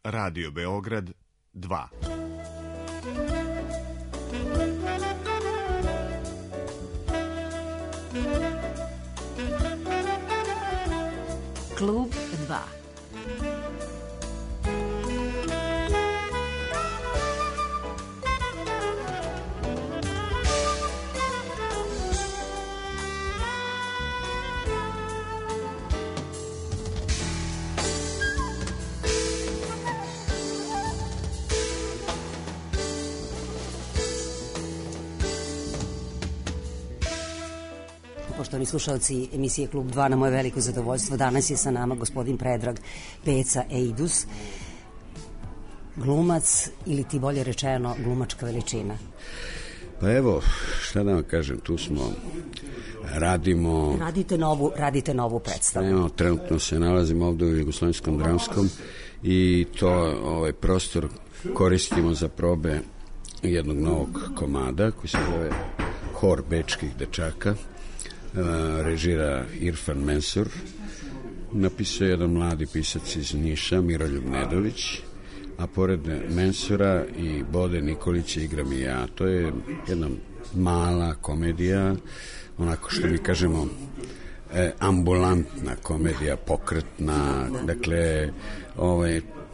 Radio Beograd 2. Klub 2. Poštovani slušalci emisije Klub 2, na moje veliko zadovoljstvo danas je sa nama gospodin Predrag Peca Eidus, glumac ili ti bolje rečeno glumačka veličina. Pa evo, šta da vam kažem, tu smo, radimo... Radite novu predstavu. Evo, trenutno se nalazimo ovde u Jugoslovenskom dramskom i to ovaj prostor koristimo za probe jednog novog komada koji se zove Hor bečkih dečaka. Režira Irfan Mensur, napisao jedan mladi pisac iz Niša, Miroljub Nedović, a pored Mensura i Bode Nikolića igram i ja. To je jedna mala komedija, onako što mi kažemo ambulantna komedija, pokretna, dakle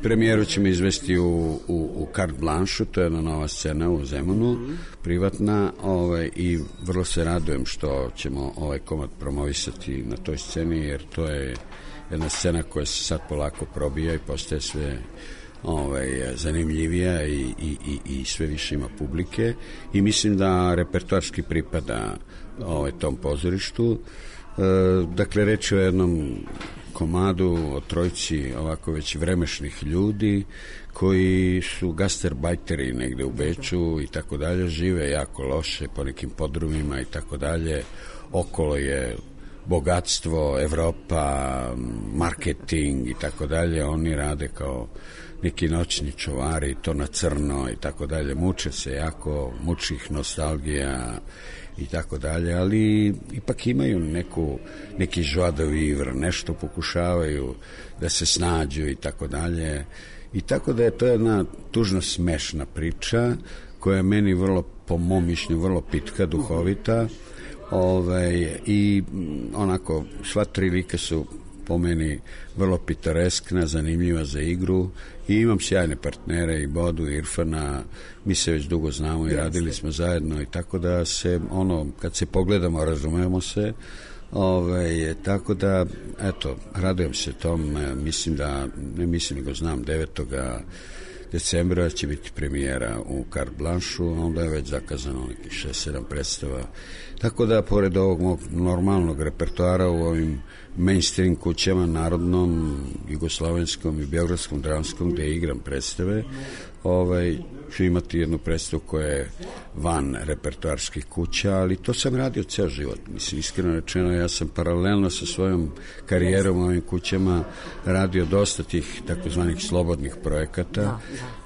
premijeru ćemo izvesti u Carte Blanche, to je jedna nova scena u Zemunu, privatna, i vrlo se radujem što ćemo ovaj komad promovisati na toj sceni, jer to je jedna scena koja se sad polako probija i postaje sve zanimljivija i sve više ima publike i mislim da repertoarski pripada tom pozorištu. Dakle, reč je o jednom komadu, o trojici ovako već vremešnih ljudi koji su gastarbajteri negde u Beču i tako dalje, žive jako loše po nekim podrumima i tako dalje, okolo je bogatstvo, Evropa, marketing i tako dalje, oni rade kao neki noćni čuvari, to na crno i tako dalje, muče se jako, muči ih nostalgija i tako dalje, ali ipak imaju neki joie de vivre, nešto pokušavaju da se snađu i tako dalje, i tako da je to jedna tužno smešna priča koja je meni vrlo, po mom mišljenju, vrlo pitka, duhovita, i onako sva tri lika su po meni vrlo pitoreskna, zanimljiva za igru i imam sjajne partnere i Bodu i Irfana, mi se već dugo znamo i radili smo zajedno i tako da se kad se pogledamo razumemo se, tako da eto, radujem se tom, nego znam 9. decembra će biti premijera u Carte Blanche, onda je već zakazano nekih 6-7 predstava, tako da pored ovog mog normalnog repertoara u ovim mainstream kućama, Narodnom, Jugoslovenskom i Beogradskom dramskom, gde igram predstave, ću imati jednu predstavu koja je van repertoarskih kuća, ali to sam radio ceo život. Mislim, iskreno rečeno, ja sam paralelno sa svojom karijerom u ovim kućama radio dosta tih takozvanih slobodnih projekata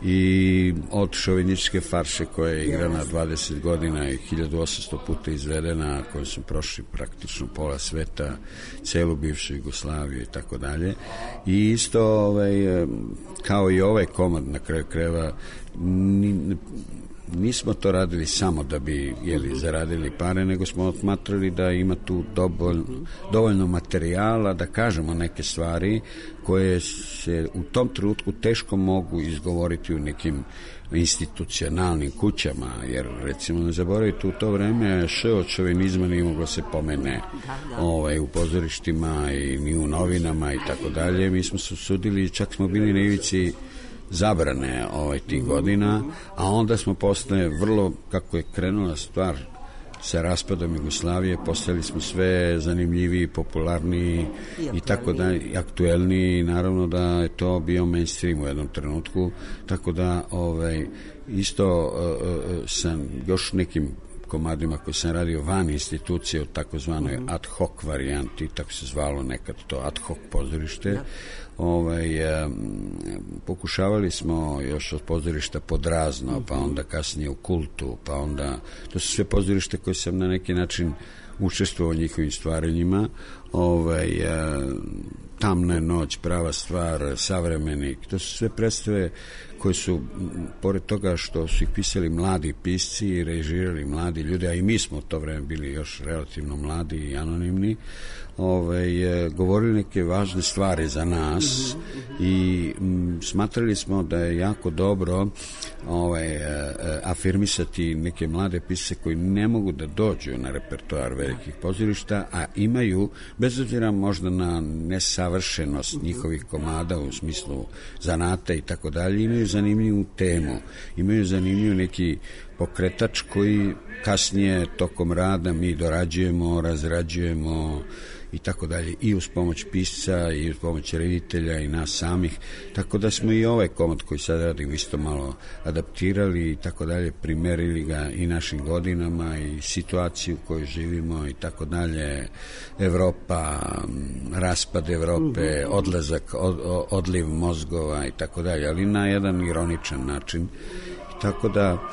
i od šovinističke farše koja je igrana 20 godina i 1800 puta izvedena, koju su prošli praktično pola sveta, celu bivšu Jugoslaviju i tako dalje. I isto, kao i ovaj komad na kraju krajeva, nismo to radili samo da bi zaradili pare, nego smo otmatrali da ima tu dovoljno materijala da kažemo neke stvari koje se u tom trenutku teško mogu izgovoriti u nekim institucionalnim kućama, jer recimo ne zaboravite, u to vreme od šovinizma nije moglo se pomene u pozorištima i ni u novinama i tako dalje. Mi smo se usudili, čak smo bili na ivici zabrane tih godina, a onda smo postali vrlo, kako je krenula stvar sa raspadom Jugoslavije, postali smo sve zanimljiviji, popularniji i tako da, aktuelniji, naravno da je to bio mainstream u jednom trenutku, tako da isto sam još nekim komadima koji sam radio van institucije u takozvanoj ad hoc varijanti, tako se zvalo nekad to ad hoc pozorište, pokušavali smo još od pozorišta Podrazno, pa onda kasnije u Kultu, pa onda, to su sve pozorište koje sam na neki način učestvovao u njihovim stvaranjima, Tamna je noć, prava stvar, savremenik, to su sve predstave koje su, pored toga što su ih pisali mladi pisci i režirali mladi ljudi, a i mi smo u to vreme bili još relativno mladi i anonimni, govorili neke važne stvari za nas i smatrali smo da je jako dobro afirmisati neke mlade pisce koji ne mogu da dođu na repertoar velikih pozorišta, a imaju, bez obzira možda na nesavršenost njihovih komada u smislu zanata i tako dalje, imaju zanimljivu temu, imaju zanimljiv neki pokretač koji kasnije tokom rada mi dorađujemo, razrađujemo i tako dalje, i uz pomoć pisca i uz pomoć reditelja i nas samih, tako da smo i ovaj komad koji sad radimo isto malo adaptirali i tako dalje, primerili ga i našim godinama i situaciju u kojoj živimo i tako dalje, Evropa, raspad Evrope, odlazak, odliv mozgova i tako dalje, ali na jedan ironičan način, tako da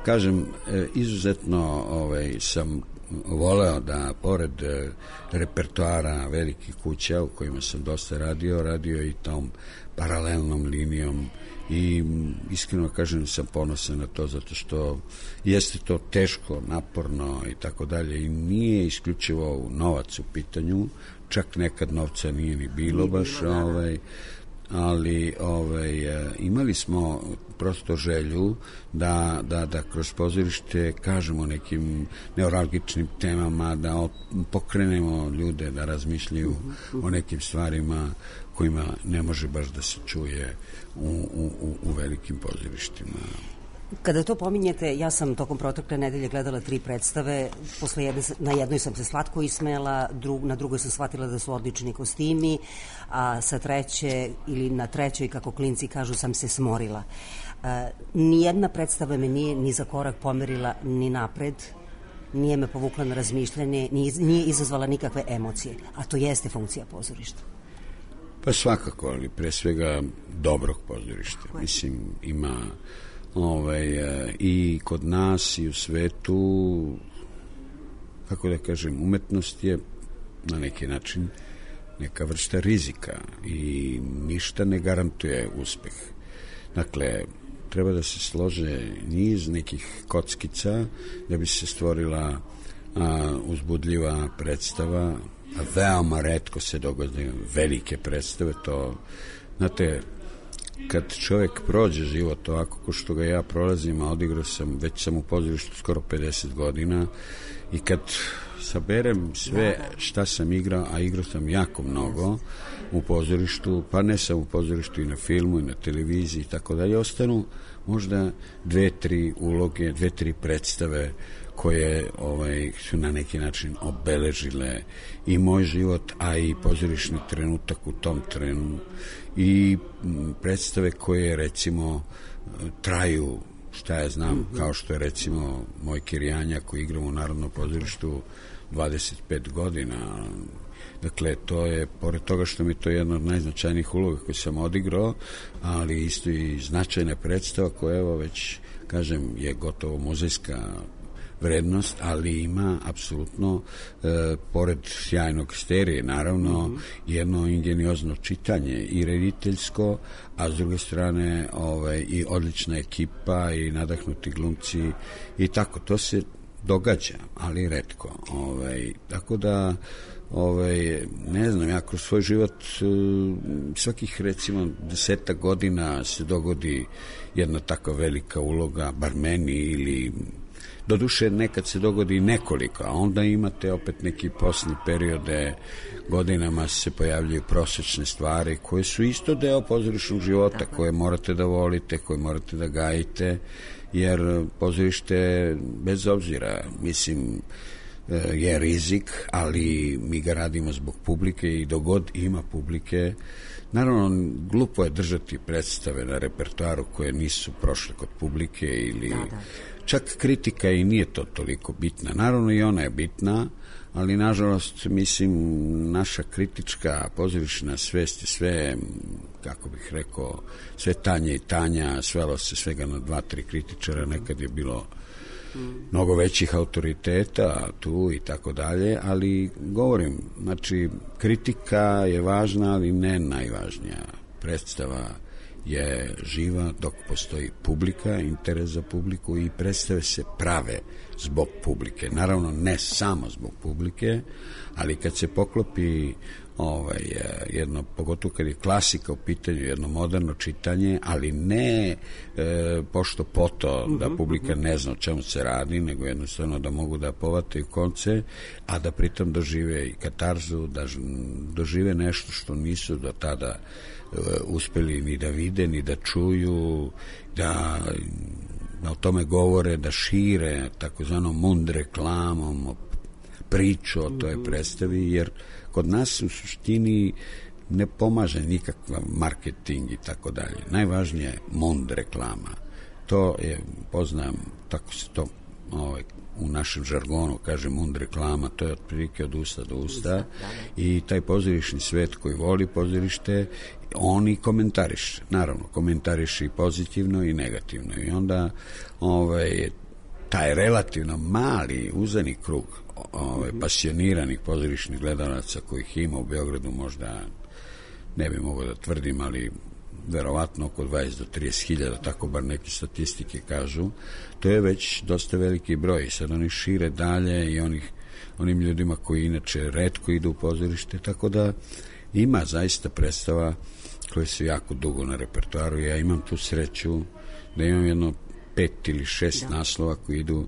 kažem, izuzetno sam voleo da pored repertoara velikih kuća u kojima sam dosta radio i tom paralelnom linijom i iskreno kažem sam ponosan na to zato što jeste to teško, naporno i tako dalje i nije isključivo novac u pitanju, čak nekad novca nije ni bilo baš, ali imali smo prosto želju da kroz pozorište kažemo nekim neuralgičnim temama, da pokrenemo ljude da razmišljaju o nekim stvarima kojima ne može baš da se čuje u velikim pozorištima. Kada to pominjete, ja sam tokom protekle nedelje gledala 3 predstave, na jednoj sam se slatko ismela, na drugoj sam shvatila da su odlični kostimi, a sa treće ili na trećoj, kako klinci kažu, sam se smorila. Nijedna predstava me nije ni za korak pomerila ni napred, nije me povukla na razmišljanje, nije izazvala nikakve emocije, a to jeste funkcija pozorišta. Pa svakako, ali pre svega dobrog pozorišta. Mislim, ima i kod nas i u svetu, kako da kažem, umetnost je na neki način neka vrsta rizika i ništa ne garantuje uspeh. Dakle, treba da se slože niz nekih kockica da bi se stvorila uzbudljiva predstava, a veoma retko se dogode velike predstave. To, znate, kad čovjek prođe život ovako ko što ga ja prolazim, a odigrao sam, već sam u pozorištu skoro 50 godina, i kad saberem sve šta sam igrao, a igrao sam jako mnogo u pozorištu, pa ne sam u pozorištu, i na filmu i na televiziji i tako dalje, ostanu možda 2-3 uloge, 2-3 predstave koje su na neki način obeležile i moj život, a i pozorišni trenutak u tom trenu, i predstave koje recimo traju, šta ja znam, kao što je recimo moj Kirjanja koji igram u Narodnom pozorištu 25 godina. Dakle, to je, pored toga što mi to je jedna od najznačajnijih uloga koju sam odigrao, ali isto i značajna predstava koja, evo, već, kažem, je gotovo muzejska vrednost, ali ima apsolutno, pored sjajnog sterije, naravno, jedno ingeniozno čitanje i rediteljsko, a s druge strane i odlična ekipa i nadahnuti glumci i tako. To se događa, ali retko. Tako da, ne znam, ja kroz svoj život svakih recimo 10 godina se dogodi jedna takva velika uloga, bar meni, ili doduše nekad se dogodi nekoliko, a onda imate opet neki poslednji periode, godinama se pojavljaju prosečne stvari koje su isto deo pozorišnog života, koje morate da volite, koje morate da gajite, jer pozorište, bez obzira, mislim, je rizik, ali mi ga radimo zbog publike i dok god ima publike. Naravno, glupo je držati predstave na repertoaru koje nisu prošle kod publike ili čak kritika i nije to toliko bitna. Naravno i ona je bitna, ali nažalost, mislim, naša kritička pozorišna svest je sve, kako bih rekao, sve tanja i tanja, svelo se svega na 2-3 kritičara, nekad je bilo mnogo većih autoriteta tu i tako dalje, ali govorim, znači kritika je važna, ali ne najvažnija. Predstava je živa dok postoji publika, interes za publiku i predstave se prave zbog publike. Naravno, ne samo zbog publike, ali kad se poklopi jedno, pogotovo kad je klasika u pitanju, jedno moderno čitanje, ali ne pošto poto da publika ne zna o čemu se radi, nego jednostavno da mogu da povataju konce, a da pritom dožive i katarzu, da dožive nešto što nisu do tada uspeli ni da vide, ni da čuju, da o tome govore, da šire takozvanom mund reklamom priču o toj predstavi, jer kod nas u suštini ne pomaže nikakav marketing i tako dalje. Najvažnije je mund reklama. To je, poznajem, tako se to u našem žargonu kaže mund reklama, to je otprilike od usta do usta i taj pozorišni svet koji voli pozorište, oni komentariše. Naravno, komentariše i pozitivno i negativno. I onda taj relativno mali uzani krug pasioniranih pozorišnih gledalaca kojih ima u Beogradu, možda ne bi mogao da tvrdim, ali verovatno oko 20 do 30.000, tako bar neke statistike kažu, to je već dosta veliki broj. Sad oni šire dalje i onim ljudima koji inače retko idu u pozorište, tako da ima zaista predstava koje su jako dugo na repertoaru. Ja imam tu sreću da imam jedno 5 ili 6 naslova koji idu.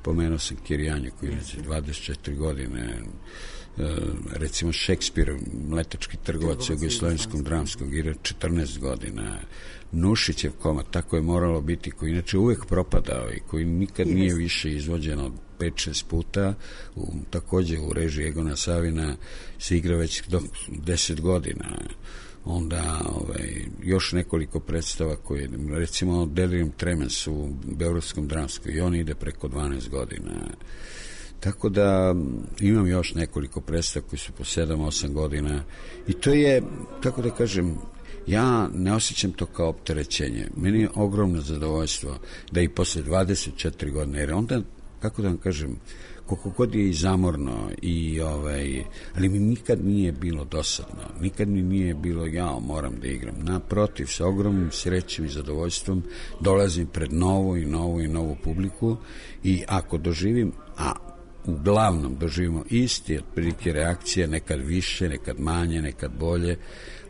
Pomenuo sam Kirjanje koji je 24 godine, recimo Šekspir, Mletački trgovac u Jugoslovenskom dramskom, igra 14 godina, Nušićev komad, tako je moralo biti, koji inače uvek propadao i koji nikad nije više izvođen od 5-6 puta, takođe u režiji Egona Savina se igra već 10 godina. Onda još nekoliko predstava koje, recimo Delirium Tremens u Beogradskom dramskom, i on ide preko 12 godina. Tako da imam još nekoliko predstava koji su po 7-8 godina i to je, kako da kažem, ja ne osjećam to kao opterećenje. Meni je ogromno zadovoljstvo da i posle 24 godine, jer onda, kako da vam kažem, koliko god je i zamorno ali mi nikad nije bilo dosadno, nikad mi nije bilo moram da igram. Naprotiv, sa ogromnim srećem i zadovoljstvom dolazim pred novu publiku i ako doživim, a uglavnom doživimo isti otprilike reakcije, nekad više, nekad manje, nekad bolje,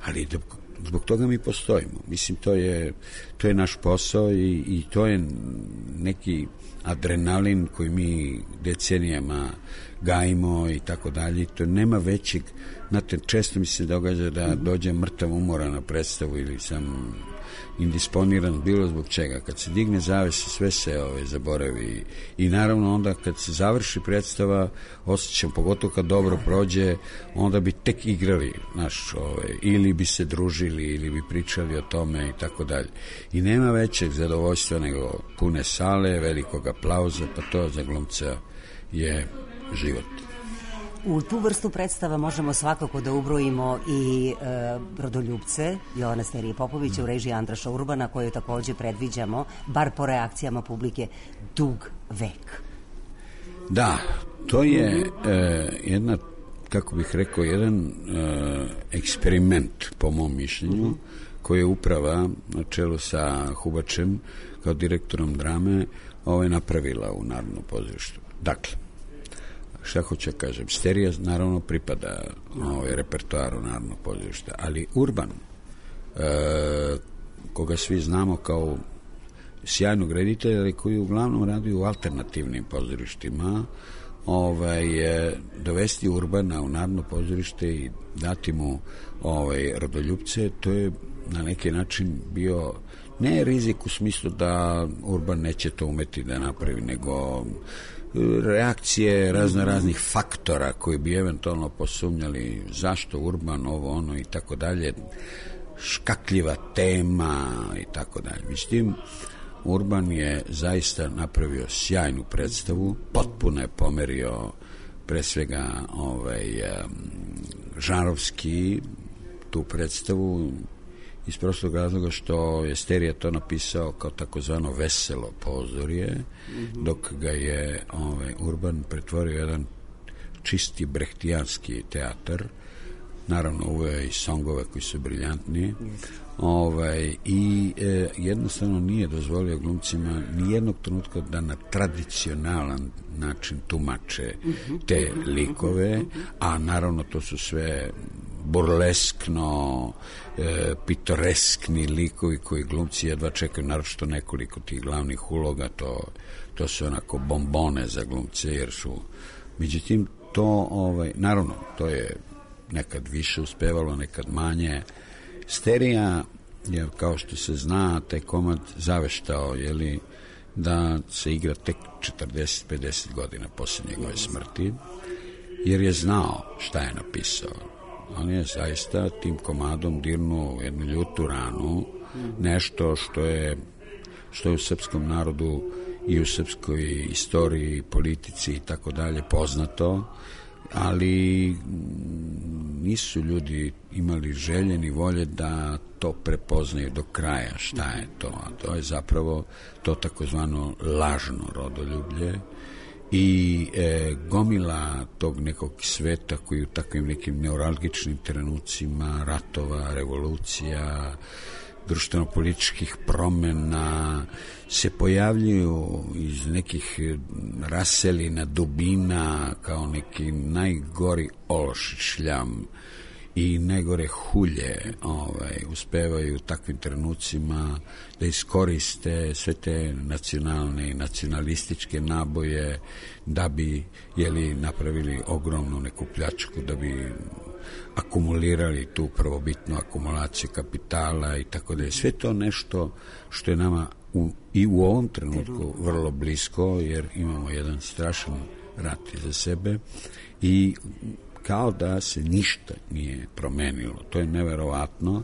ali zbog toga mi postojimo. Mislim, to je naš posao i to je neki adrenalin koji mi decenijama gajimo i tako dalje. To nema većeg, znate, često mi se događa da dođem mrtav umoran na predstavu ili sam indisponiran bilo zbog čega. Kad se digne zavese, sve se zaboravi i naravno onda kad se završi predstava osjećam, pogotovo kad dobro prođe, onda bi tek igrali ili bi se družili ili bi pričali o tome i tako dalje. I nema većeg zadovoljstva nego pune sale, velikog aplauza, pa to za glumca je život. U tu vrstu predstava možemo svakako da ubrojimo i Rodoljupce Jovana Sterije Popovića u režiji Andraša Urbana, koju takođe predviđamo, bar po reakcijama publike, dug vek. Da, to je jedna, kako bih rekao, jedan eksperiment, po mom mišljenju, koji je uprava na čelu sa Hubačem kao direktorom drame napravila u Narodnom pozorištu. Dakle, šta hoću da kažem, Sterija naravno pripada repertoaru Narodnog pozorišta, ali Urban, koga svi znamo kao sjajnog reditelja, ali koji uglavnom radi u alternativnim pozorištima, dovesti Urbana u Narodno pozorište i dati mu Rodoljupce, to je na neki način bio ne rizik u smislu da Urban neće to umeti da napravi, nego reakcije raznih faktora koji bi eventualno posumnjali zašto Urban ono i tako dalje, škakljiva tema i tako dalje. Međutim, Urban je zaista napravio sjajnu predstavu, potpuno je pomerio pre svega žanrovski tu predstavu iz prostog razloga što je Sterija to napisao kao takozvano veselo pozorje, dok ga je Urban pretvorio jedan čisti brehtijanski teatar, naravno uveo i songove koji su briljantni, i jednostavno nije dozvolio glumcima nijednog trenutka da na tradicionalan način tumače te likove, a naravno to su sve burleskno, pitoreskni likovi koji glumci jedva čekaju, naročito nekoliko tih glavnih uloga, to su onako bombone za glumce, jer su, međutim, to, naravno, to je nekad više uspevalo, nekad manje. Sterija je, kao što se zna, taj komad zaveštao, da se igra tek 40-50 godina posle njegove smrti, jer je znao šta je napisao. On je zaista tim komadom dirnuo jednu ljutu ranu, nešto što je u srpskom narodu i u srpskoj istoriji, politici i tako dalje poznato, ali nisu ljudi imali želje ni volje da to prepoznaju do kraja šta je to, a to je zapravo to takozvano lažno rodoljublje i gomila tog nekog sveta koji u takvim nekim neuralgičnim trenucima ratova, revolucija, društveno-političkih promena se pojavljuju iz nekih raselina, dubina, kao neki najgori ološ, šljam i najgore hulje uspevaju u takvim trenucima da iskoriste sve te nacionalne i nacionalističke naboje da bi napravili ogromnu neku pljačku, da bi akumulirali tu prvobitnu akumulaciju kapitala i tako da je sve to nešto što je nama i u ovom trenutku vrlo blisko, jer imamo jedan strašan rat iza sebe i kao da se ništa nije promenilo. To je neverovatno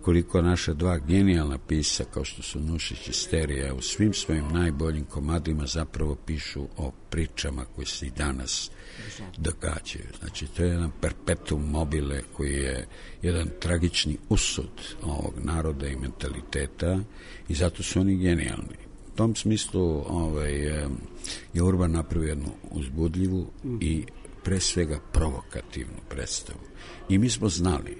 koliko naša dva genijalna pisa, kao što su Nušić i Sterija, u svim svojim najboljim komadima zapravo pišu o pričama koje se i danas događaju. Znači, to je jedan perpetuum mobile koji je jedan tragični usud ovog naroda i mentaliteta i zato su oni genijalni. U tom smislu je Urban napravio jednu uzbudljivu i pre svega provokativnu predstavu. I mi smo znali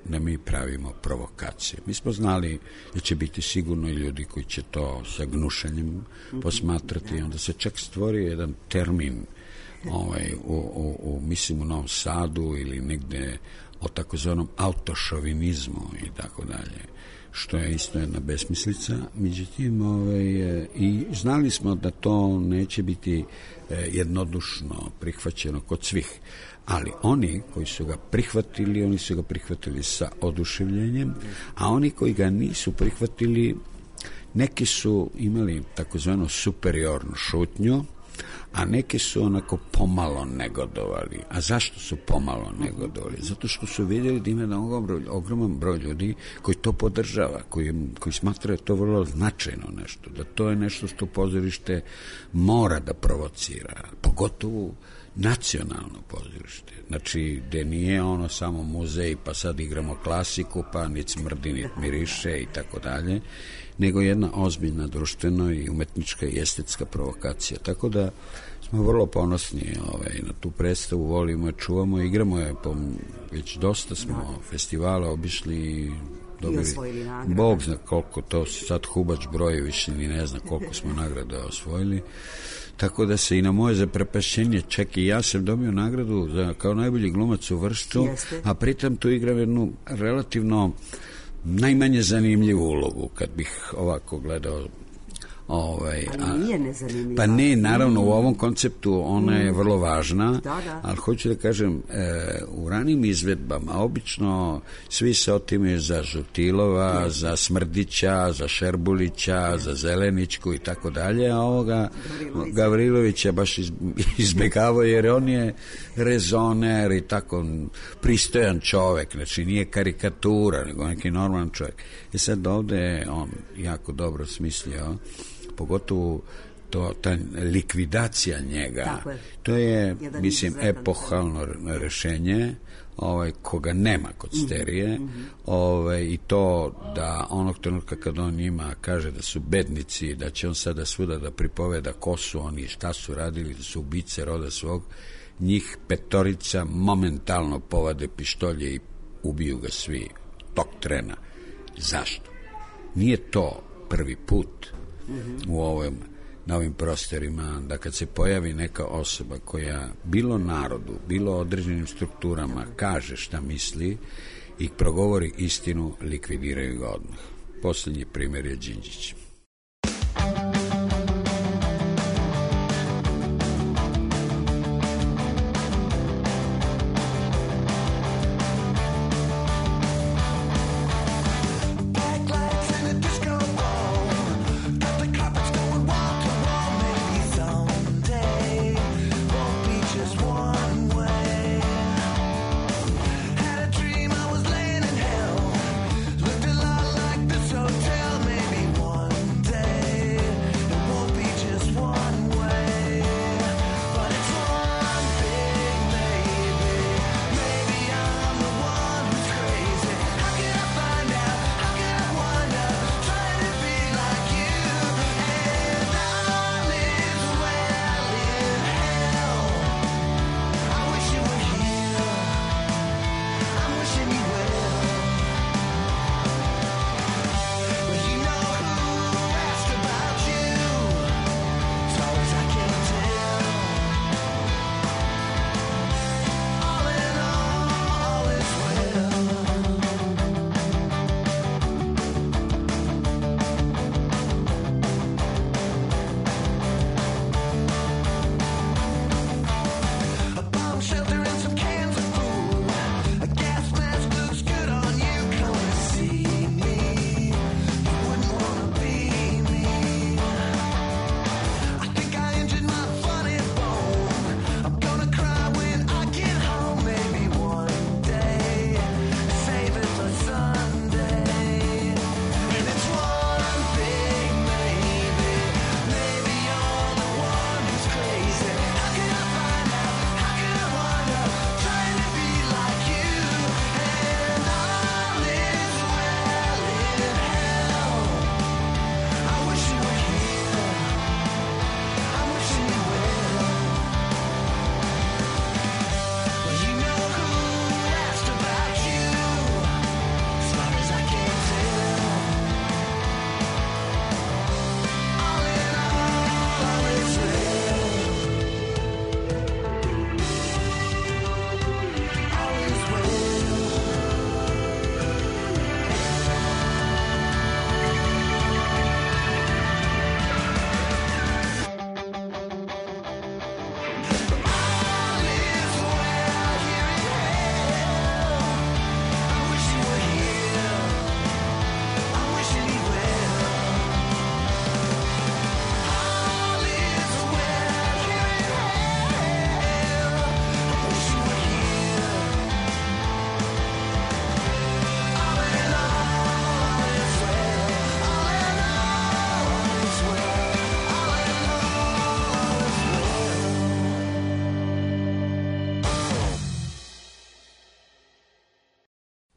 da mi pravimo provokacije. Mi smo znali da će biti sigurno i ljudi koji će to sa gnušanjem posmatrati. Onda se čak stvorio jedan termin mislim u Novom Sadu ili negde o takozvanom autošovinizmu i tako dalje, što je isto jedna besmislica. Međutim, i znali smo da to neće biti jednodušno prihvaćeno kod svih, ali oni koji su ga prihvatili, oni su ga prihvatili sa oduševljenjem, a oni koji ga nisu prihvatili, neki su imali takozvano superiornu šutnju, a neki su onako pomalo negodovali. A zašto su pomalo negodovali? Zato što su vidjeli da ima ogroman broj ljudi koji to podržava, koji smatraju to vrlo značajno nešto, da to je nešto što pozorište mora da provocira, pogotovo nacionalno pozorište. Znači, gde nije ono samo muzej, pa sad igramo klasiku, pa nit smrdi, nit miriše i tako dalje, nego jedna ozbiljna društvena i umetnička i estetska provokacija. Tako da smo vrlo ponosni na tu predstavu, volimo je, čuvamo je, igramo je, već dosta smo festivala obišli i dobili, Bog zna koliko, to sad Hubač broji, više ni ne zna koliko smo nagrada osvojili. Tako da se i na moje zaprepašćenje, čak i ja sam dobio nagradu kao najbolji glumac u Vršcu, a pritom tu igram jednu relativno najmanje zanimljivu ulogu, kad bih ovako gledao. Ali nije nezanimljiva. Pa ne, naravno, u ovom konceptu ona je vrlo važna, ali hoću da kažem, u ranim izvedbama obično svi se otimaju za Žutilova, za Smrdića, za Šerbulića, za Zeleničku i tako dalje, a ovoga Gavrilovića baš izbjegavao, jer on je rezoner i tako pristojan čovek, znači nije karikatura, nego neki normalan čovek. I sad ovde on jako dobro smislio, pogotovo ta likvidacija njega, to je, mislim, epohalno rešenje, koga nema kod Sterije, i to da onog trenutka kad on njima kaže da su bednici, da će on sada svuda da pripoveda ko su oni, šta su radili, da su ubice roda svog, njih 5 momentalno povade pištolje i ubiju ga svi tog trena. Zašto? Nije to prvi put na ovim prostorima, da kad se pojavi neka osoba koja bilo narodu, bilo određenim strukturama kaže šta misli i progovori istinu, likvidiraju ga odmah. Poslednji primjer je Đinđić.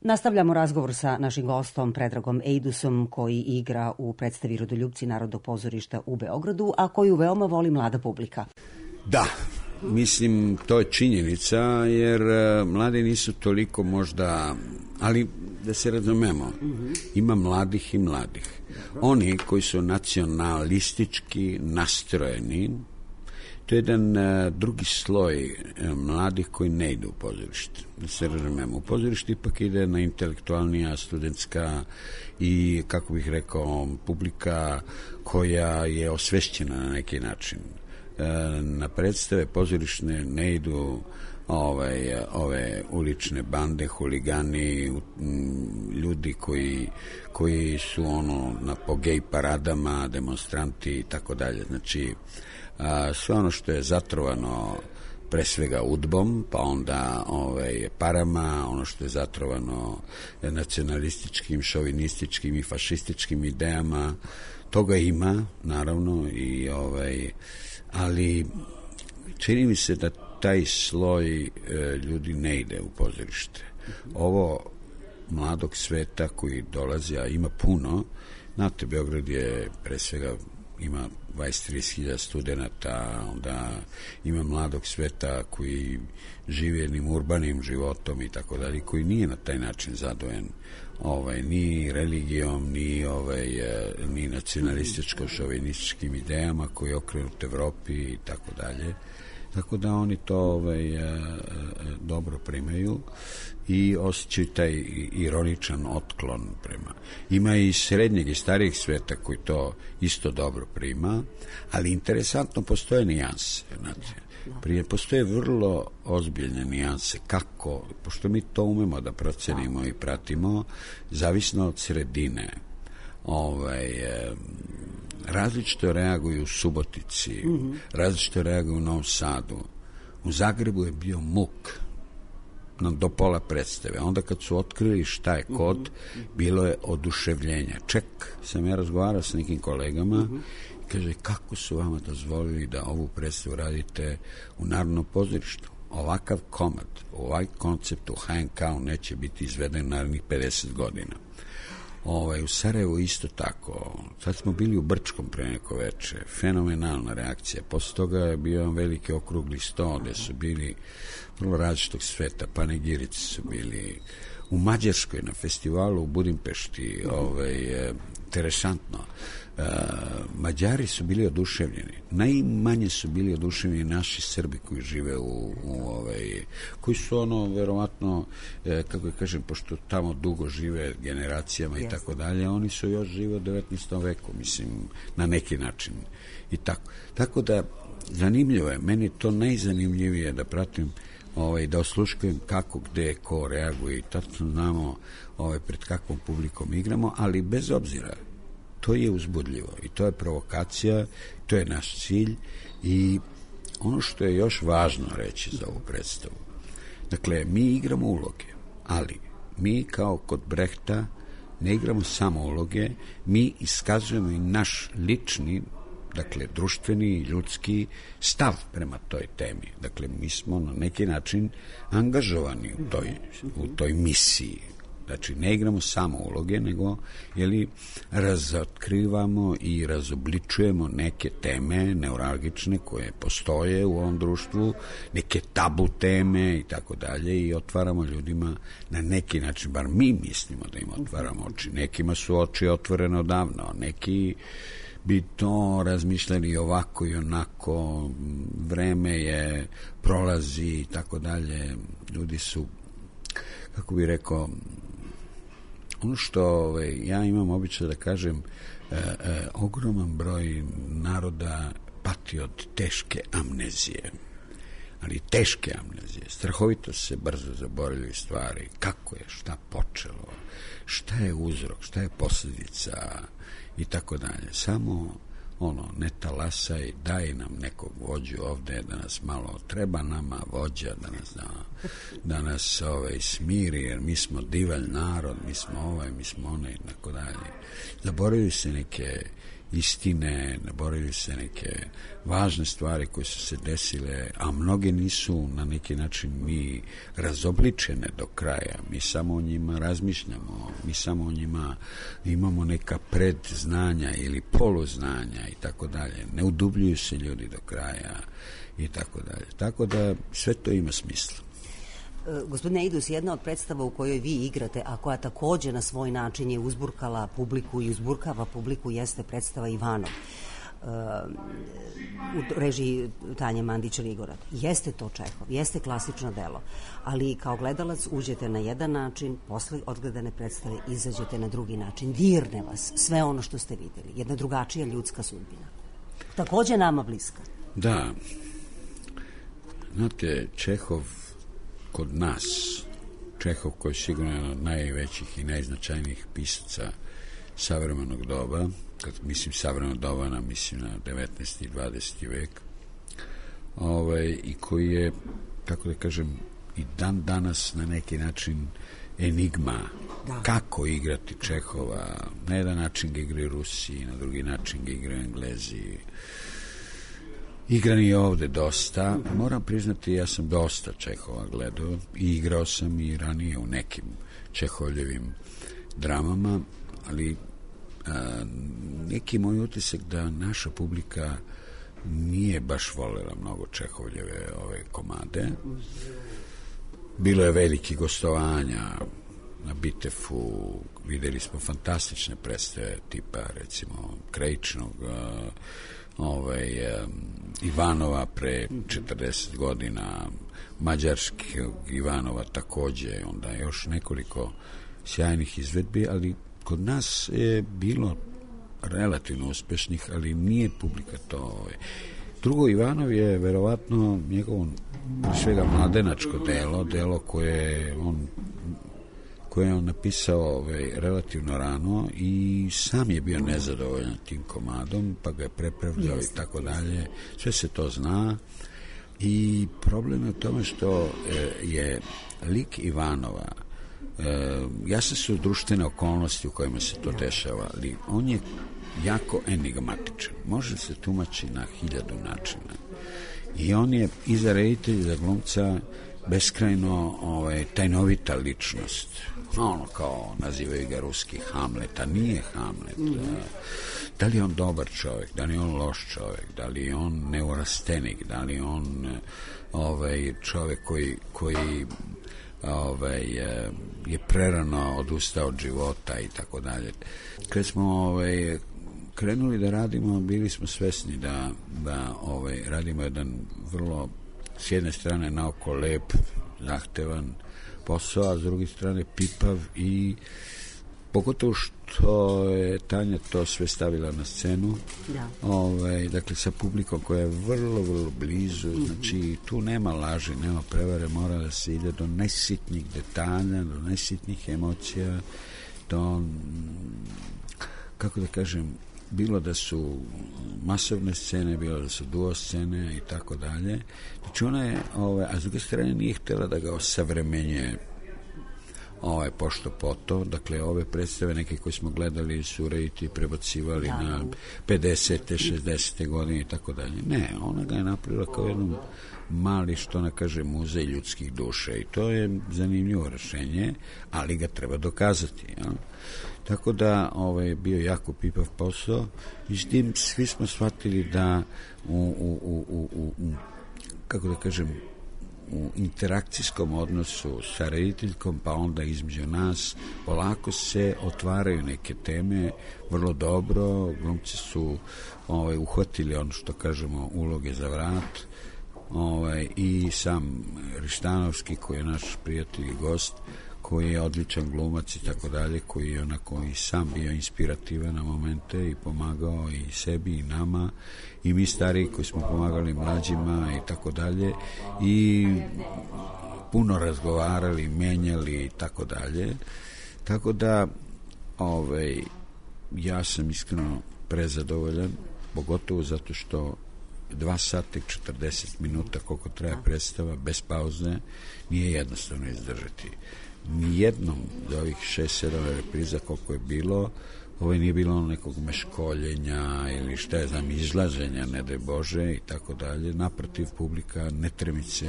Nastavljamo razgovor sa našim gostom Predragom Ejdusom, koji igra u predstavi Rodoljupci Narodnog pozorišta u Beogradu, a koju veoma voli mlada publika. Da, mislim, to je činjenica, jer mladi nisu toliko možda, ali da se razumemo, ima mladih i mladih. Oni koji su nacionalistički nastrojeni, to je jedan drugi sloj mladih koji ne ide u pozorište. Da se razumemo, u pozorište ipak ide na intelektualnija, studentska i, kako bih rekao, publika koja je osvešćena na neki način. Na predstave pozorišne ne idu ove ulične bande, huligani, ljudi koji su po gej paradama, demonstranti i tako dalje. Znači, sve ono što je zatrovano pre svega udbom, pa onda parama, ono što je zatrovano nacionalističkim, šovinističkim i fašističkim idejama, Toga ima, naravno, i ali čini mi se da taj sloj ljudi ne ide u pozorište. Ovo mladog sveta koji dolazi, a ima puno, znate, Beograd je pre svega ima 20-30 studenta, onda ima mladog sveta koji žive jednim urbanim životom i tako dalje, koji nije na taj način zadovoljan ni religijom, ni nacionalističko-šovinističkim idejama koji je okrenut Evropi i tako dalje. Tako da oni to dobro primaju i osjećaju taj ironičan otklon prema. Ima i srednjeg i starijeg sveta koji to isto dobro prima, ali interesantno postoje nijanse. Postoje vrlo ozbiljne nijanse kako, pošto mi to umemo da procenimo i pratimo, zavisno od sredine. Različito reaguju u Subotici, različito reaguju u Novom Sadu. U Zagrebu je bio muk do pola predstave. Onda kad su otkrili šta je kod, bilo je oduševljenja. Ček, sam ja razgovarao sa nekim kolegama i kaže, kako su vama dozvolili da ovu predstavu radite u Narodnom pozorištu? Ovakav komad, ovaj koncept u HNK-u neće biti izveden narednih 50 godina. U Sarajevu isto tako. Sad smo bili u Brčkom pre neko veče. Fenomenalna reakcija. Posle toga je bio veliki okrugli sto gde su bili vrlo različitog sveta. Panegirici su bili u Mađarskoj na festivalu u Budimpešti. Interesantno. Mađari su bili oduševljeni. Najmanje su bili oduševljeni naši Srbi koji žive koji su verovatno, kako kažem, pošto tamo dugo žive generacijama i tako dalje, oni su još žive u 19. veku, mislim, na neki način i tako. Tako da, zanimljivo je, meni to najzanimljivije da pratim, da osluškujem kako, gde, ko reaguje i tačno znamo pred kakvom publikom igramo, ali bez obzira, to je uzbudljivo i to je provokacija, to je naš cilj i ono što je još važno reći za ovu predstavu. Dakle, mi igramo uloge, ali mi kao kod Brehta ne igramo samo uloge, mi iskazujemo i naš lični, dakle, društveni, ljudski stav prema toj temi. Dakle, mi smo na neki način angažovani u toj misiji. Znači, ne igramo samo uloge, nego razotkrivamo i razobličujemo neke teme neuralgične koje postoje u ovom društvu, neke tabu teme i tako dalje i otvaramo ljudima na neki način, bar mi mislimo da im otvaramo oči. Nekima su oči otvorene odavno, neki bi to razmišljali ovako i onako, vreme je, prolazi i tako dalje. Ljudi su, kako bi rekao, ono što ja imam običaj da kažem, ogroman broj naroda pati od teške amnezije. Ali teške amnezije. Strahovito se brzo zaboravljaju stvari. Kako je, šta počelo, šta je uzrok, šta je posljedica i tako dalje. Samo ne talasaj, daj nam nekog vođu ovde da nas malo, treba nama vođa da nas smiri, jer mi smo divalj narod, mi smo mi smo onaj i tako dalje. Zaboravljaju se neke istine, zaboravljaju se neke važne stvari koje su se desile, a mnoge nisu na neki način ni razobličene do kraja. Mi samo o njima razmišljamo, mi samo o njima imamo neka predznanja ili poluznanja i tako dalje. Ne udubljuju se ljudi do kraja i tako dalje. Tako da sve to ima smisla. Gospodine Eidus, jedna od predstava u kojoj vi igrate, a koja takođe na svoj način je uzburkala publiku i uzburkava publiku, jeste predstava Ivanov u režiji Tanje Mandić-Ligorad. Jeste to Čehov, jeste klasično delo, ali kao gledalac uđete na jedan način, posle odgledane predstave izađete na drugi način. Dirne vas sve ono što ste videli. Jedna drugačija ljudska sudbina. Takođe nama bliska. Da. Znate, Čehov kod nas, Čehov koji je sigurno jedan od najvećih i najznačajnijih pisaca savremenog doba, kad mislim savremenog doba, mislim na 19. i 20. vek, i koji je, kako da kažem, i dan danas na neki način enigma. Kako igrati Čehova? Na jedan način ga igraju Rusi, na drugi način ga igraju Englezi. Igran je ovde dosta. Moram priznati, ja sam dosta Čehova gledao i igrao sam i ranije u nekim Čehovljevim dramama, ali neki moj utisak da naša publika nije baš volela mnogo Čehovljeve ove komade. Bilo je veliki gostovanja na Bitefu, videli smo fantastične predstave tipa recimo Krajičnog, Ivanova pre 40 godina, mađarskog Ivanova takođe, onda još nekoliko sjajnih izvedbi, ali kod nas je bilo relativno uspešnih, ali nije publika to. Drugo, Ivanov je verovatno njegovo svega mladenačko delo koje je on napisao relativno rano i sam je bio nezadovoljan tim komadom, pa ga je prepravljao i tako dalje. Sve se to zna i problem je u tome što je lik Ivanova, jasne su društvene okolnosti u kojima se to dešava, ali on je jako enigmatičan. Može se tumači na 1000 načina. I on je i za reditelja, za glumca beskrajno tajnovita ličnost. Ono kao nazivaju ga ruski Hamlet, a nije Hamlet. Da li je on dobar čovjek, da li je on loš čovjek, da li je on neurastenik, da li je on čovjek koji je prerano odustao od života i tako dalje. Kad smo krenuli da radimo, bili smo svesni da radimo jedan vrlo, s jedne strane naoko lep, zahtevan posao, a s druge strane pipav i pogotovo što je Tanja to sve stavila na scenu, dakle sa publikom koja je vrlo, vrlo blizu, znači tu nema laži, nema prevare, mora da se ide do najsitnijih detalja, do najsitnijih emocija, do, kako da kažem, bilo da su masovne scene, bilo da su duo scene i tako dalje. Znači ona je, a s druge strane nije htjela da ga osavremenje pošto poto, dakle ove predstave neke koje smo gledali su reditelji prebacivali na 50. 60. godine i tako dalje. Ne, ona ga je napravila kao jednom mali, što ona kaže, muzej ljudskih duša i to je zanimljivo rešenje, ali ga treba dokazati. Ja? Tako da je bio jako pipav posao i s tim svi smo shvatili da kako da kažem, u interakcijskom odnosu sa rediteljkom, pa onda između nas, polako se otvaraju neke teme vrlo dobro, glumci su uhvatili ono što kažemo uloge za vrat, i sam Rištanovski koji je naš prijatelj i gost, koji je odličan glumac i tako dalje, koji je onako i sam bio inspirativan na momente i pomagao i sebi i nama i mi stariji koji smo pomagali mlađima i tako dalje i puno razgovarali, menjali i tako dalje. Tako da ja sam iskreno prezadovoljan, pogotovo zato što 2 sata i 40 minuta koliko traje predstava bez pauze nije jednostavno izdržati. Nijednom od ovih 6-7 repriza koliko je bilo, nije bilo nekog meškoljenja ili šta je znam, izlaženja, ne daj Bože i tako dalje. Naprotiv, publika ne tremice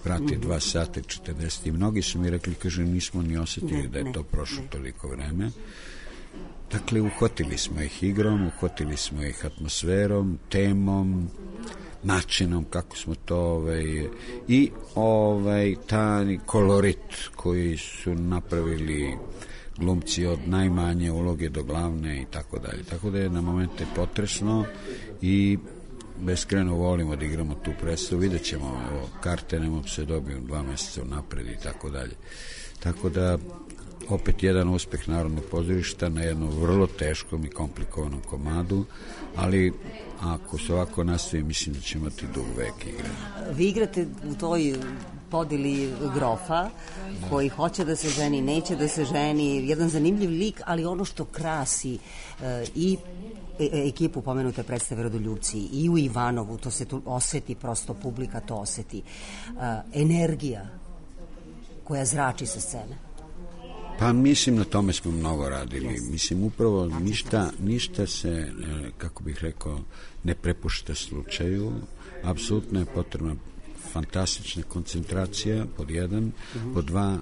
vrati 2 sata i 40 i mnogi su mi rekli, kaže, nismo ni osjetili da je to prošlo toliko vreme. Dakle, uhvatili smo ih igrom, uhvatili smo ih atmosferom, temom, načinom kako smo to i taj kolorit koji su napravili glumci od najmanje uloge do glavne i tako dalje. Tako da je na momente potresno i beskrajno volimo da igramo tu predstavu. Vidjet ćemo, karte nemam se dobiju 2 meseca napred i tako dalje. Tako da opet jedan uspeh Narodnog pozorišta na jednom vrlo teškom i komplikovanom komadu, ali ako se ovako nastavi, mislim da će imati dug vek igre. Vi igrate u toj podeli grofa koji hoće da se ženi, neće da se ženi, jedan zanimljiv lik, ali ono što krasi i ekipu pomenute predstave Rodoljubci i u Ivanovu, to se tu oseti, prosto publika to oseti, energija koja zrači sa scene. Pa mislim na tome smo mnogo radili. Mislim upravo ništa se, kako bih rekao, ne prepušta slučaju. Apsolutno je potrebna fantastična koncentracija, pod jedan, pod dva,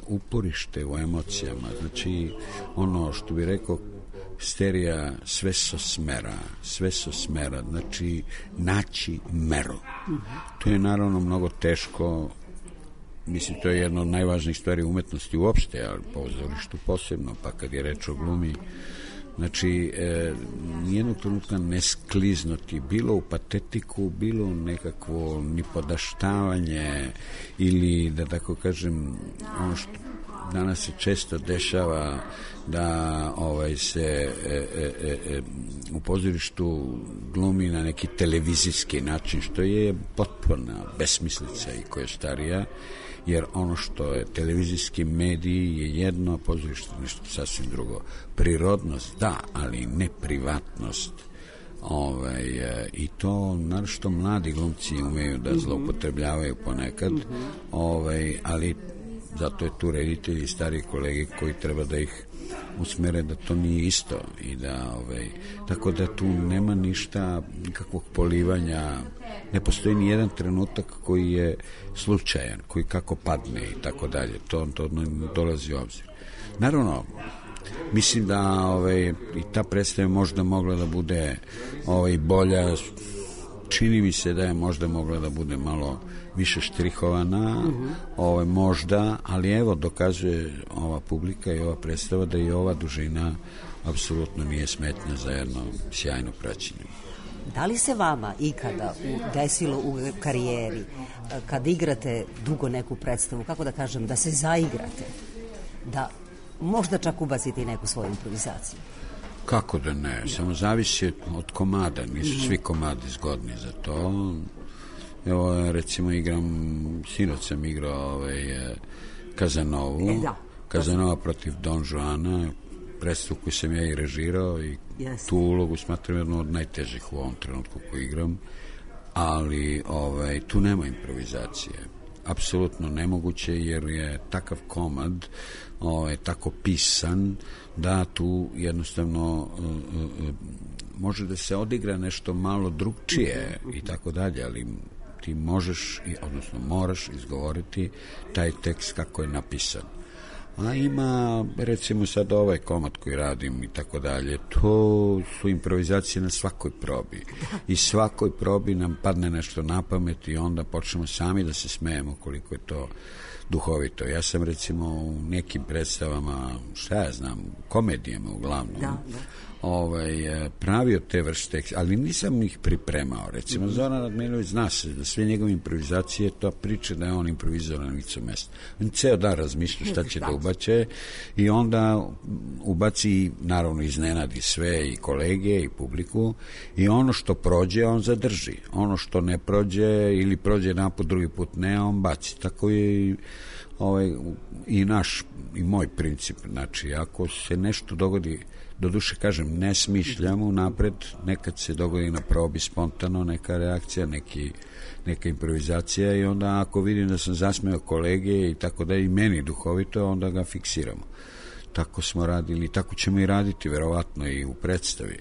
uporište u emocijama. Znači, ono što bih rekao, sterija sve so smera, znači naći meru. To je naravno mnogo teško. Mislim, to je jedna od najvažnijih stvari umetnosti uopšte, ali pozorištu posebno, pa kad je reč o glumi, znači, nijednog trenutka ne skliznuti, bilo u patetiku, bilo u nekakvo nipodaštavanje ili, da tako kažem, ono što danas se često dešava da se u pozorištu glumi na neki televizijski način, što je potpuna besmislica i koja je starija, jer ono što je televizijski medij je jedno, pozorište nešto sasvim drugo. Prirodnost, da, ali ne privatnost. I to, naročito mladi glumci umeju da zloupotrebljavaju ponekad, ali zato je tu reditelji i stari kolege koji treba da ih usmere da to nije isto i da, tako da tu nema ništa, nikakvog polivanja, ne postoji ni jedan trenutak koji je slučajan, koji kako padne i tako dalje, to ne dolazi u obzir. Naravno, mislim da i ta predstava možda mogla da bude bolja, čini mi se da je možda mogla da bude malo više štrihovana, možda, ali evo dokazuje ova publika i ova predstava da i ova dužina apsolutno nije smetnja za jedno sjajno praćenje. Da li se vama ikada desilo u karijeri, kad igrate dugo neku predstavu, kako da kažem, da se zaigrate, da možda čak ubacite i neku svoju improvizaciju? Kako da ne, samo zavisi od komada, nisu svi komadi zgodni za to. Evo, recimo, sinoć sam igrao Kazanovu, Kazanova protiv Don Juana, predstavu koju sam ja i režirao i tu ulogu smatram jednu od najtežih u ovom trenutku koju igram, ali tu nema improvizacije. Apsolutno nemoguće, jer je takav komad tako pisan da tu jednostavno može da se odigra nešto malo drugčije i tako dalje, ali ti možeš, odnosno moraš izgovoriti taj tekst kako je napisan. A ima, recimo sad ovaj komad koji radim i tako dalje, to su improvizacije na svakoj probi. I svakoj probi nam padne nešto na pamet i onda počnemo sami da se smejemo koliko je to duhovito. Ja sam recimo u nekim predstavama, šta ja znam, komedijama uglavnom, pravio te vrste, ali nisam ih pripremao. Recimo, Zoran Radmilović zna se da sve njegove improvizacije, to priča da je on improvizovao na licu mesta. On ceo dan razmišlja šta će da ubače i onda ubaci, naravno iznenadi sve i kolege i publiku, i ono što prođe on zadrži. Ono što ne prođe ili prođe jedan put, drugi put ne, on baci. Tako je i moj princip. Znači, ako se nešto dogodi, doduše kažem, ne smišljamo napred, nekad se dogodi na probi spontano neka reakcija, neka improvizacija, i onda ako vidim da sam zasmeo kolege i tako da i meni duhovito, onda ga fiksiramo. Tako smo radili, tako ćemo i raditi verovatno i u predstavi.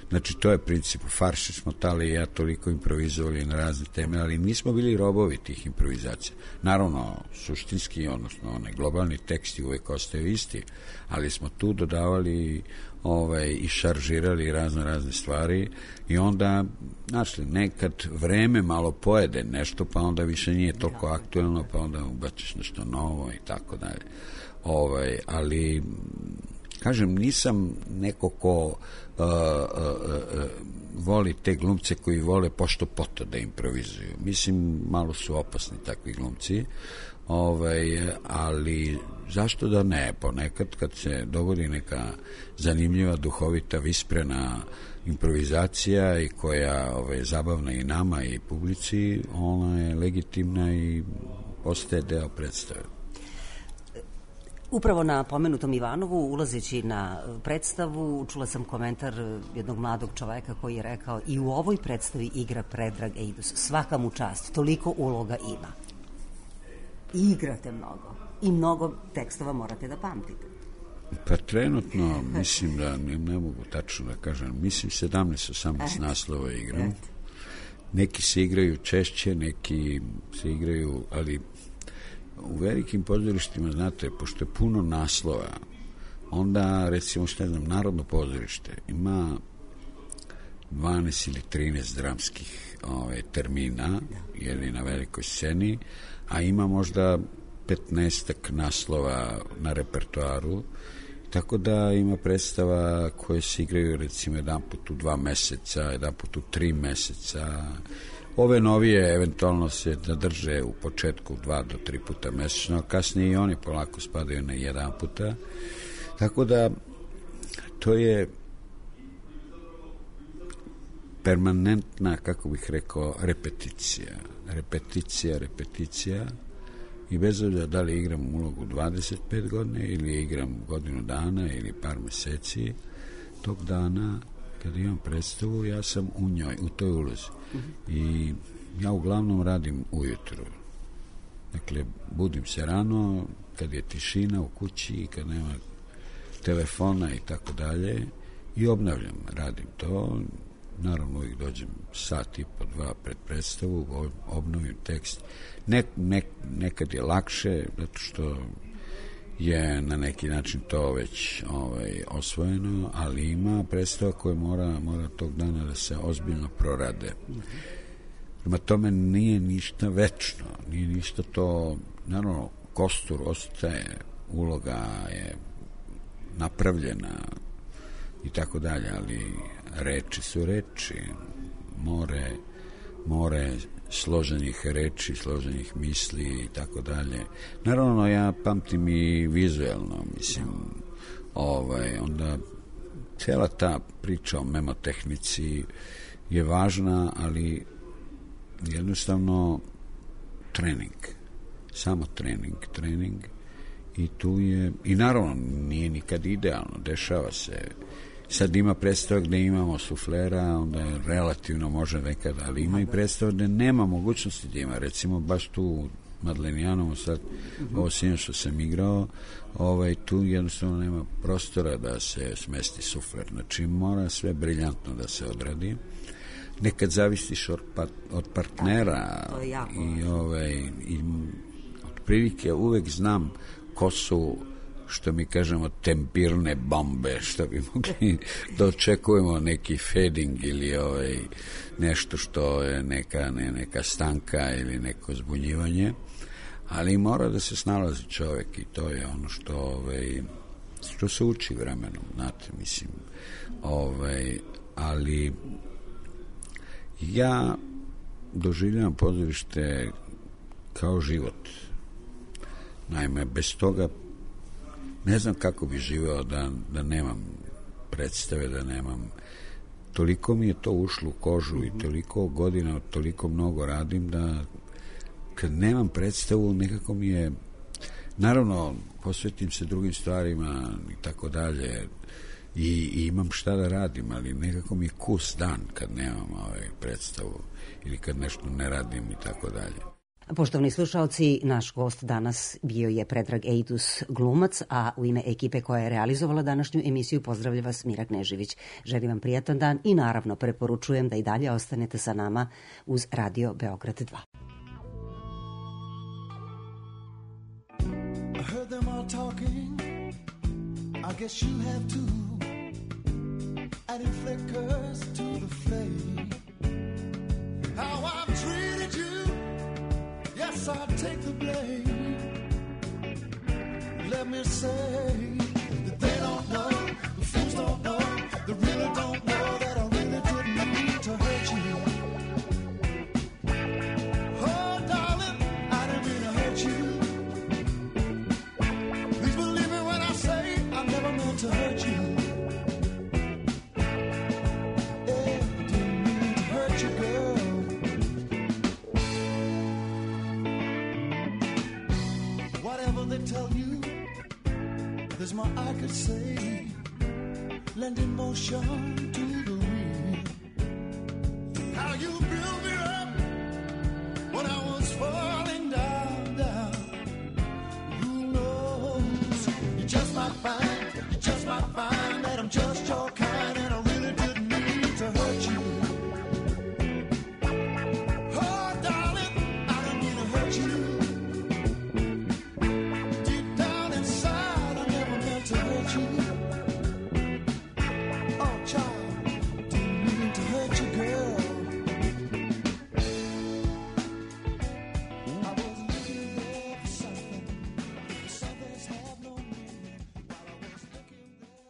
Znači, to je princip. U farsi smo Tali i ja toliko improvizovali na razne teme, ali nismo bili robovi tih improvizacija. Naravno, suštinski, odnosno onaj globalni teksti uvek ostaju isti, ali smo tu dodavali i šaržirali razne stvari, i onda, znači, nekad vreme malo pojede nešto, pa onda više nije toliko aktuelno, pa onda ubaciš nešto novo i tako dalje. Ali kažem, nisam neko ko voli te glumce koji vole pošto poto da improvizuju. Mislim, malo su opasni takvi glumci, ali zašto da ne? Ponekad kad se dogodi neka zanimljiva, duhovita, visprena improvizacija i koja je zabavna i nama i publici, ona je legitimna i postaje deo predstave. Upravo na pomenutom Ivanovu, ulazeći na predstavu, čula sam komentar jednog mladog čoveka koji je rekao: i u ovoj predstavi igra Predrag Ejdus, svaka mu čast, toliko uloga ima. I igrate mnogo i mnogo tekstova morate da pamtite. Pa trenutno, mislim da ne mogu tačno da kažem, mislim 17-18 naslova igram. Neki se igraju češće, neki se igraju, ali u velikim pozorištima, znate, pošto je puno naslova, onda, recimo, što ne znam, Narodno pozorište ima 12 ili 13 dramskih termina, jer je na velikoj sceni, a ima možda 15 naslova na repertoaru, tako da ima predstava koje se igraju recimo jedan put u 2 meseca, jedan put u 3 meseca. Ove novije eventualno se zadrže u početku 2 do 3 puta mesečno, kasnije i oni polako spadaju na 1 puta. Tako da to je permanentna, kako bih rekao, repeticija i bez obzira da li igram ulogu 25 godine ili igram godinu dana ili par meseci, tog dana kad imam predstavu ja sam u njoj, u toj ulozi. I ja uglavnom radim ujutru. Dakle, budim se rano kad je tišina u kući, kad nema telefona i tako dalje i obnavljam, radim to. Naravno uvijek dođem sat i po 2 pred predstavu, obnovim tekst. Nekad je lakše, zato što je na neki način to već osvojeno, ali ima predstava koja mora tog dana da se ozbiljno prorade. Prema tome nije ništa večno, nije ništa to, naravno, kostur ostaje, uloga je napravljena i tako dalje, ali reči su reči, more složenih reči, složenih misli i tako dalje. Naravno, ja pamtim i vizuelno, mislim, onda cijela ta priča o memotehnici je važna, ali jednostavno trening, samo trening i tu je, i naravno nije nikad idealno, dešava se. Sad ima predstava gde imamo suflera, onda je relativno može nekada, ali ima i predstava gde nema mogućnosti da ima. Recimo baš tu u Madlenijanovu sad, ovo sinoć što sam igrao, tu jednostavno nema prostora da se smesti sufler. Znači mora sve briljantno da se odradi. Nekad zavisiš od partnera i otprilike uvek znam ko su, što mi kažemo, tempirne bombe, što bi mogli da očekujemo neki fading ili nešto što je neka stanka ili neko zbunjivanje, ali mora da se snalazi čovjek i to je ono što se uči vremenom, znate, mislim, ali ja doživljavam pozorište kao život. Naime, bez toga ne znam kako bi živeo da nemam predstave, da nemam. Toliko mi je to ušlo u kožu i toliko godina, toliko mnogo radim da kad nemam predstavu nekako mi je, naravno posvetim se drugim stvarima i tako dalje i imam šta da radim, ali nekako mi je kus dan kad nemam predstavu ili kad nešto ne radim i tako dalje. Poštovani slušalci, naš gost danas bio je Predrag Ejtus, glumac, a u ime ekipe koja je realizovala današnju emisiju pozdravlja vas Mira Knežević. Želim vam prijatan dan i naravno preporučujem da i dalje ostanete sa nama uz Radio Beograd 2. I heard them all talking, I guess you have too, adding flickers to the flame. How I've treated you, yes, I take the blame. Let me say that they don't know, the fools don't know, they really don't know that I really didn't mean to hurt you. Oh, darling, I didn't mean to hurt you. Please believe me when I say I never meant to hurt you. Yeah, I didn't mean to hurt you, girl. Whatever they tell you, there's more I could say. Lending motion